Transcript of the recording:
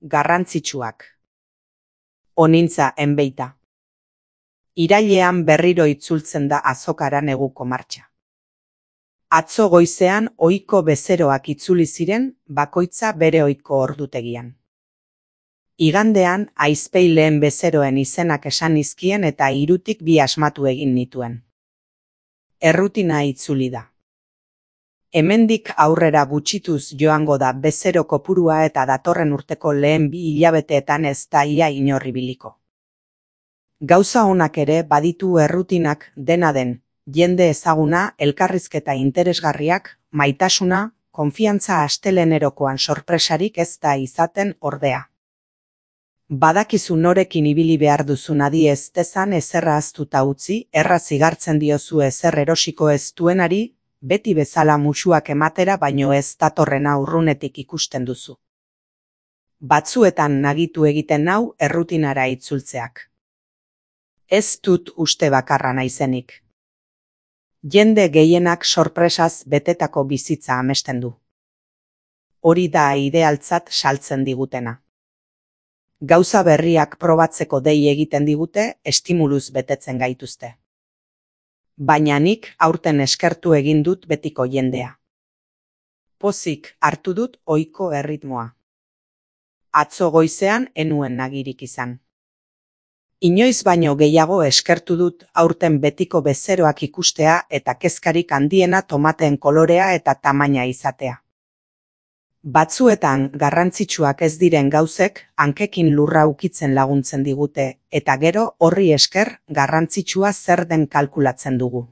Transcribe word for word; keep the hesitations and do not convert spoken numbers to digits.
Garrantzitsuak. Onintza enbeita. Irailean berriro itzultzen da azokara neguko martxa. Atzo goizean ohiko bezeroak itzuli ziren, bakoitza bere ohiko ordutegian. Igandean aizpeileen bezeroen izenak esan nizkien eta hirutik bi asmatu egin nituen. Errutina itzuli da. Hemendik aurrera gutxituz joango da bezero kopurua eta datorren urteko lehen bi hilabeteetan ez da ia inor ibiliko. Gauza onak ere baditu errutinak, dena den, jende ezaguna, elkarrizketa interesgarriak, maitasuna, konfiantza astelehenerokoan sorpresarik ez da izaten ordea. Badakizu norekin ibili behar duzun adi ez dezan ezerra ahaztuta utzi, erraz igartzen diozu ezer erosiko ez duenari, beti bezala musuak ematera baino ez datorrena urrunetik ikusten duzu. Batzuetan nagitu egiten nau errutinara itzultzeak. Ez dut uste bakarra naizenik. Jende gehienak sorpresaz betetako bizitza amesten du. Hori da idealtzat saltzen digutena. Gauza berriak probatzeko dei egiten digute, estimuluz betetzen gaituzte. Baina nik aurten eskertu egin dut betiko jendea. Pozik hartu dut ohiko erritmoa. Atzo goizean enuen nagirik izan. Inoiz baino gehiago eskertu dut aurten betiko bezeroak ikustea eta kezkarik handiena tomateen kolorea eta tamaina izatea. Batzuetan garrantzitsuak ez diren gauzek hankekin lurra ukitzen laguntzen digute eta gero horri esker garrantzitsua zer den kalkulatzen dugu.